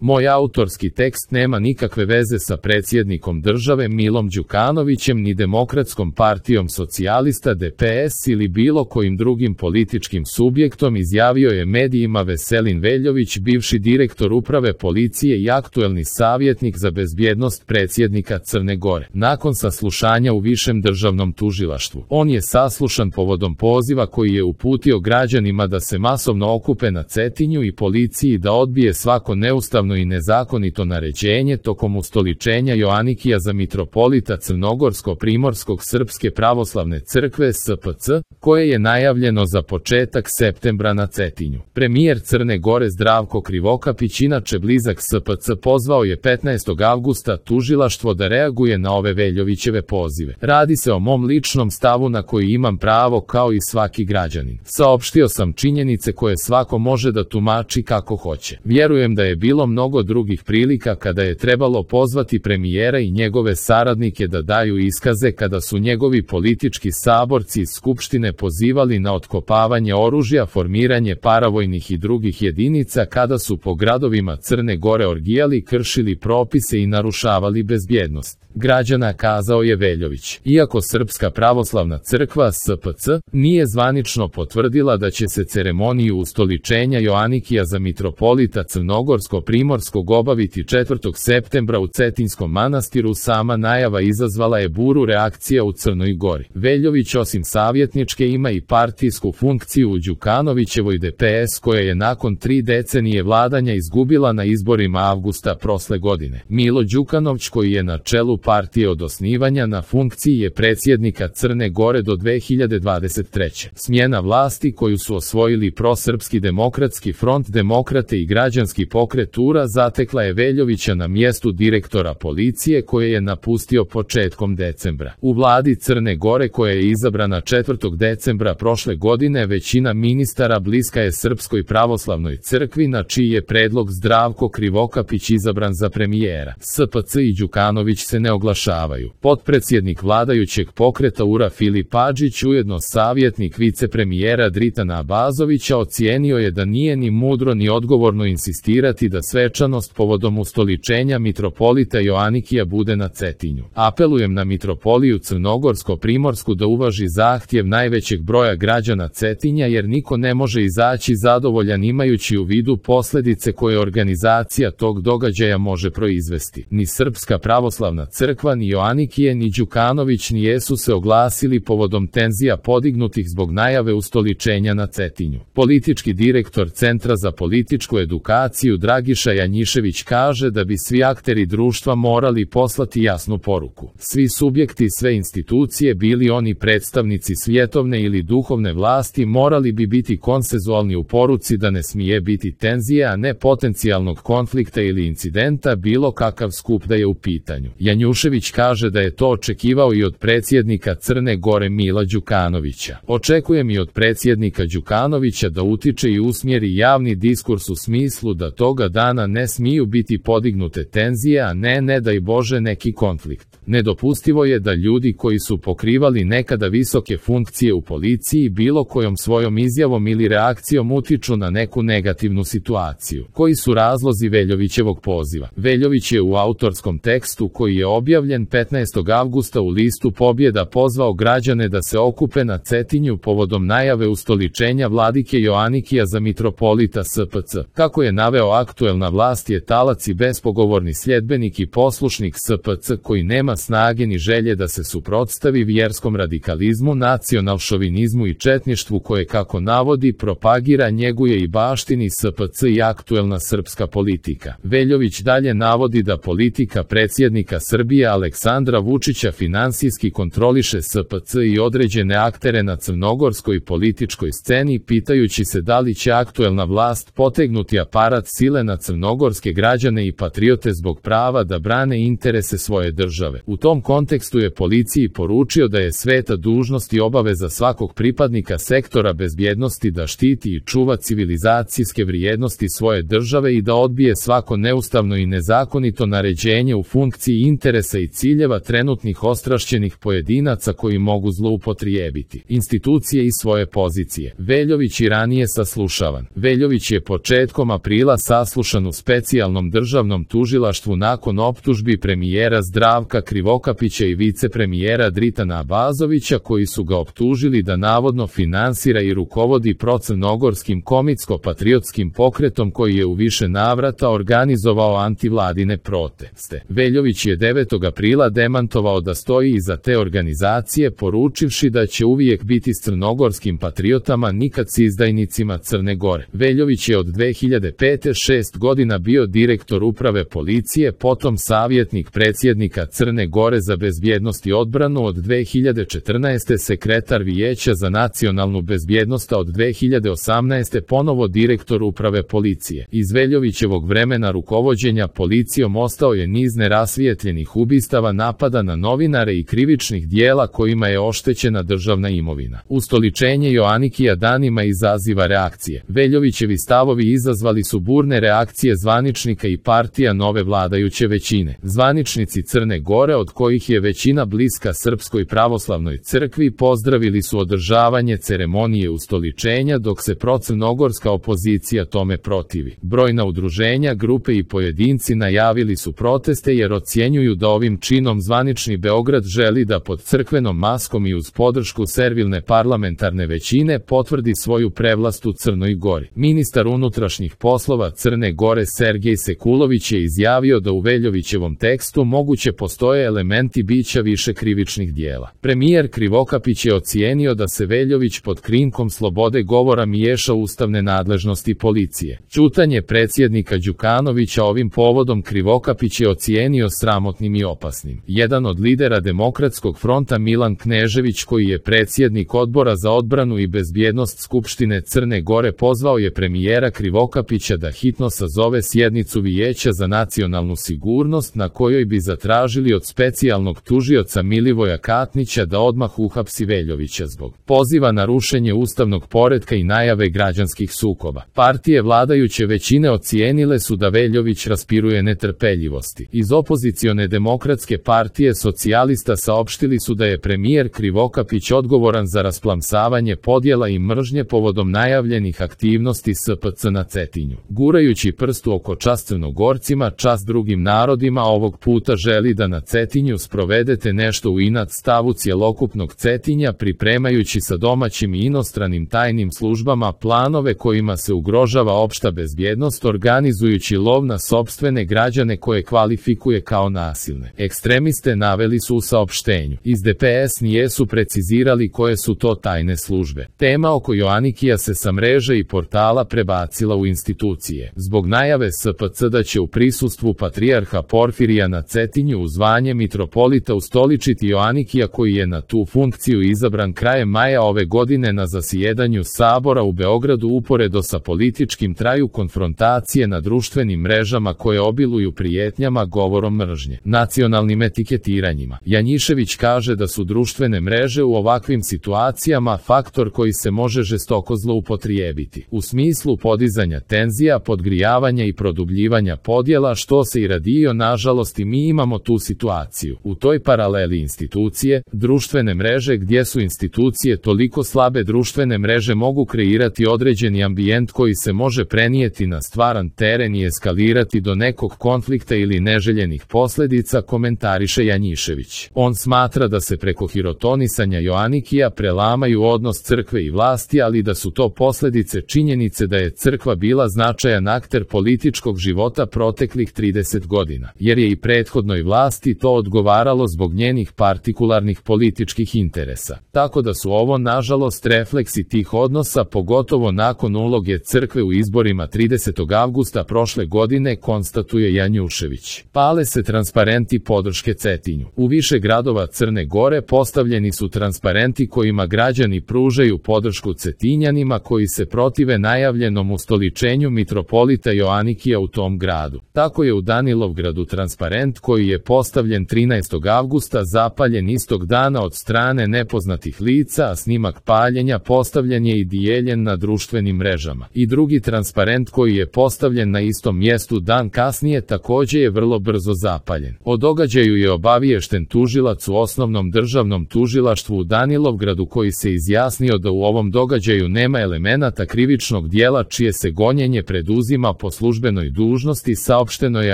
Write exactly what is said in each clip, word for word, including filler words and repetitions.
Moj autorski tekst nema nikakve veze sa predsjednikom države Milom Đukanovićem ni Demokratskom partijom socijalista D P S ili bilo kojim drugim političkim subjektom, izjavio je medijima Veselin Veljović, bivši direktor uprave policije i aktuelni savjetnik za bezbjednost predsjednika Crne Gore. Nakon saslušanja u Višem državnom tužilaštvu, on je saslušan povodom poziva koji je uputio građanima da se masovno okupe na Cetinju i policiji da odbije svako neustavno i nezakonito naređenje tokom ustoličenja Joanikija za mitropolita Crnogorsko-Primorskog Srpske pravoslavne crkve S P C, koje je najavljeno za početak septembra na Cetinju. Premijer Crne Gore Zdravko Krivokapić, inače blizak S P C, pozvao je petnaestog avgusta tužilaštvo da reaguje na ove Veljovićeve pozive. Radi se o mom ličnom stavu na koji imam pravo kao i svaki građanin. Saopštio sam činjenice koje svako može da tumači kako hoće. Vjerujem da je bilo mnogo drugih prilika kada je trebalo pozvati premijera i njegove saradnike da daju iskaze kada su njegovi politički saborci iz Skupštine pozivali na otkopavanje oružja, formiranje paravojnih i drugih jedinica, kada su po gradovima Crne Gore orgijali, kršili propise i narušavali bezbjednost građana, kazao je Veljović. Iako Srpska pravoslavna crkva S P C nije zvanično potvrdila da će se ceremoniju ustoličenja Joanikija za mitropolita Crnogorsko-Primorskog obaviti četvrtog septembra u Cetinskom manastiru, sama najava izazvala je buru reakcija u Crnoj Gori. Veljović osim savjetničke ima i partijsku funkciju u Đukanovićevoj D P S, koja je nakon tri decenije vladanja izgubila na izborima avgusta prošle godine. Milo Đukanović, koji je na čelu partije od osnivanja, na funkciji je predsjednika Crne Gore do dve hiljade dvadeset treće. Smjena vlasti koju su osvojili prosrpski demokratski front, demokrate i građanski pokret U R A zatekla je Veljovića na mjestu direktora policije, koje je napustio početkom decembra. U vladi Crne Gore, koja je izabrana četvrtog decembra prošle godine, većina ministara bliska je Srpskoj pravoslavnoj crkvi, na čiji je predlog Zdravko Krivokapić izabran za premijera. S P C i Đukanović se ne oglašavaju. Potpredsjednik vladajućeg pokreta U R A Filip Adžić, ujedno savjetnik vicepremijera Dritana Abazovića, ocijenio je da nije ni mudro ni odgovorno insistirati da svečanost povodom ustoličenja mitropolita Joanikija bude na Cetinju. Apelujem na mitropoliju Crnogorsko-Primorsku da uvaži zahtjev najvećeg broja građana Cetinja, jer niko ne može izaći zadovoljan imajući u vidu posljedice koje organizacija tog događaja može proizvesti. Ni Srpska pravoslavna crkva, ni Joanikije, ni Đukanović nijesu se oglasili povodom tenzija podignutih zbog najave ustoličenja na Cetinju. Politički direktor Centra za političku edukaciju Dragiša Janjišević kaže da bi svi akteri društva morali poslati jasnu poruku. Svi subjekti, sve institucije, bili oni predstavnici svjetovne ili duhovne vlasti, morali bi biti konsenzualni u poruci da ne smije biti tenzije, a ne potencijalnog konflikta ili incidenta, bilo kakav skup da je u pitanju. Janjušević kaže da je to očekivao i od predsjednika Crne Gore Mila Đukanovića. Očekujem i od predsjednika Đukanovića da utiče i usmjeri javni diskurs u smislu da toga dana ne smiju biti podignute tenzije, a ne, ne daj Bože, neki konflikt. Nedopustivo je da ljudi koji su pokrivali nekada visoke funkcije u policiji bilo kojom svojom izjavom ili reakcijom utiču na neku negativnu situaciju. Koji su razlozi Veljovićevog poziva? Veljović je u autorskom tekstu koji je objavljen petnaestog avgusta u listu Pobjeda pozvao građane da se okupe na Cetinju povodom najave ustoličenja vladike Joanikija za mitropolita S P C. Kako je naveo, aktuelna vlast je talac i bespogovorni sljedbenik i poslušnik S P C koji nema snage ni želje da se suprotstavi vjerskom radikalizmu, nacionalšovinizmu i četništvu koje, kako navodi, propagira, njeguje i baštini S P C i aktuelna srpska politika. Veljović dalje navodi da politika predsjednika Srbije Aleksandra Vučića finansijski kontroliše S P C i određene aktere na crnogorskoj političkoj sceni, pitajući se da li će aktuelna vlast potegnuti aparat sile na crnogorske građane i patriote zbog prava da brane interese svoje države. U tom kontekstu je policiji poručio da je sveta dužnost i obaveza svakog pripadnika sektora bezbjednosti da štiti i čuva civilizacijske vrijednosti svoje države i da odbije svako neustavno i nezakonito naređenje u funkciji interesa interesa i ciljeva trenutnih ostrašćenih pojedinaca koji mogu zloupotrijebiti institucije i svoje pozicije. Veljović i ranije saslušavan. Veljović je početkom aprila saslušan u specijalnom državnom tužilaštvu nakon optužbi premijera Zdravka Krivokapića i vicepremijera Dritana Abazovića koji su ga optužili da navodno finansira i rukovodi procrnogorskim komitsko-patriotskim pokretom koji je u više navrata organizovao antivladine proteste. Veljović je devetog aprila demantovao da stoji iza te organizacije, poručivši da će uvijek biti s crnogorskim patriotama, nikad s izdajnicima Crne Gore. Veljović je od dve hiljade pete šest godina bio direktor uprave policije, potom savjetnik predsjednika Crne Gore za bezbjednost i odbranu, od dve hiljade četrnaeste sekretar Vijeća za nacionalnu bezbjednost, a od dve hiljade osamnaeste ponovo direktor uprave policije. Iz Veljovićevog vremena rukovođenja policijom ostao je niz nerasvijetljenih ubistava, napada na novinare i krivičnih dijela kojima je oštećena državna imovina. Ustoličenje Joanikija danima izaziva reakcije. Veljovićevi stavovi izazvali su burne reakcije zvaničnika i partija nove vladajuće većine. Zvaničnici Crne Gore, od kojih je većina bliska Srpskoj pravoslavnoj crkvi, pozdravili su održavanje ceremonije ustoličenja, dok se procrnogorska opozicija tome protivi. Brojna udruženja, grupe i pojedinci najavili su proteste jer ocjenjuju da ovim činom zvanični Beograd želi da pod crkvenom maskom i uz podršku servilne parlamentarne većine potvrdi svoju prevlast u Crnoj Gori. Ministar unutrašnjih poslova Crne Gore Sergej Sekulović je izjavio da u Veljovićevom tekstu moguće postoje elementi bića više krivičnih dijela. Premijer Krivokapić je ocijenio da se Veljović pod krinkom slobode govora miješa u ustavne nadležnosti policije. Ćutanje predsjednika Đukanovića ovim povodom Krivokapić je ocijenio sramotnim i opasnim. Jedan od lidera Demokratskog fronta, Milan Knežević, koji je predsjednik Odbora za odbranu i bezbjednost Skupštine Crne Gore, pozvao je premijera Krivokapića da hitno sazove sjednicu Vijeća za nacionalnu sigurnost na kojoj bi zatražili od specijalnog tužioca Milivoja Katnića da odmah uhapsi Veljovića zbog poziva na rušenje ustavnog poretka i najave građanskih sukoba. Partije vladajuće većine ocijenile su da Veljović raspiruje netrpeljivosti. Iz opozicione Demokratske partije socijalista saopštili su da je premijer Krivokapić odgovoran za rasplamsavanje podjela i mržnje povodom najavljenih aktivnosti S P C na Cetinju. Gurajući prst u oko čast Crnogorcima, čast drugim narodima, ovog puta želi da na Cetinju sprovedete nešto u inat stavu cjelokupnog Cetinja, pripremajući sa domaćim i inostranim tajnim službama planove kojima se ugrožava opšta bezbjednost, organizujući lov na sopstvene građane koje kvalifikuje kao nasilne ekstremiste, naveli su u saopštenju. Iz D P S nijesu precizirali koje su to tajne službe. Tema oko Joanikija se sa mreže i portala prebacila u institucije. Zbog najave S P C da će u prisustvu patrijarha Porfirija na Cetinju u zvanje mitropolita ustoličiti Joanikija, koji je na tu funkciju izabran krajem maja ove godine na zasjedanju Sabora u Beogradu, uporedo sa političkim traju konfrontacije na društvenim mrežama koje obiluju prijetnjama, govorom mržnje, nacionalnim etiketiranjima. Janjišević kaže da su društvene mreže u ovakvim situacijama faktor koji se može žestoko zloupotrijebiti, u smislu podizanja tenzija, podgrijavanja i produbljivanja podjela, što se i radio. Nažalost, i mi imamo tu situaciju. U toj paraleli institucije, društvene mreže, gdje su institucije toliko slabe, društvene mreže mogu kreirati određeni ambijent koji se može prenijeti na stvaran teren i eskalirati do nekog konflikta ili neželjenih posljedica, komentariše Janjišević. On smatra da se preko hirotonisanja Joanikija prelamaju odnos crkve i vlasti, ali da su to posljedice činjenice da je crkva bila značajan akter političkog života proteklih trideset godina, jer je i prethodnoj vlasti to odgovaralo zbog njenih partikularnih političkih interesa. Tako da su ovo nažalost refleksi tih odnosa, pogotovo nakon uloge crkve u izborima tridesetog avgusta prošle godine, konstatuje Janjušević. Pale se transparenti podrške Cetinju. U više gradova Crne Gore postavljeni su transparenti kojima građani pružaju podršku Cetinjanima koji se protive najavljenom ustoličenju mitropolita Joanikija u tom gradu. Tako je u Danilovgradu transparent koji je postavljen trinaestog avgusta zapaljen istog dana od strane nepoznatih lica, a snimak paljenja postavljen je i dijeljen na društvenim mrežama. I drugi transparent koji je postavljen na istom mjestu dan kasnije također je vrlo brzo zapaljen. O događaju je obaviješten tužilac u Osnovnom državnom tužilaštvu u Danilovgradu koji se izjasnio da u ovom događaju nema elemenata krivičnog dijela čije se gonjenje preduzima po službenoj dužnosti, saopšteno je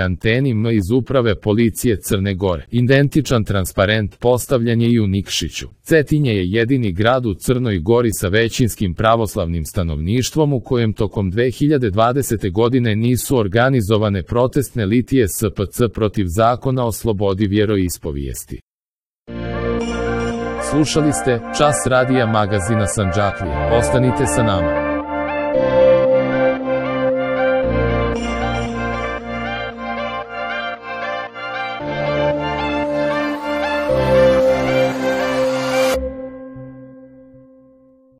Anteni M iz Uprave policije Crne Gore. Identičan transparent postavljen je i u Nikšiću. Cetinje je jedini grad u Crnoj Gori sa većinskim pravoslavnim stanovništvom u kojem tokom dve hiljade dvadesete godine nisu organizovane protestne litije S P C protiv zakona o slobodi vjeroispovijesti. Slušali ste Čas radija magazina Sandžaklije. Ostanite sa nama.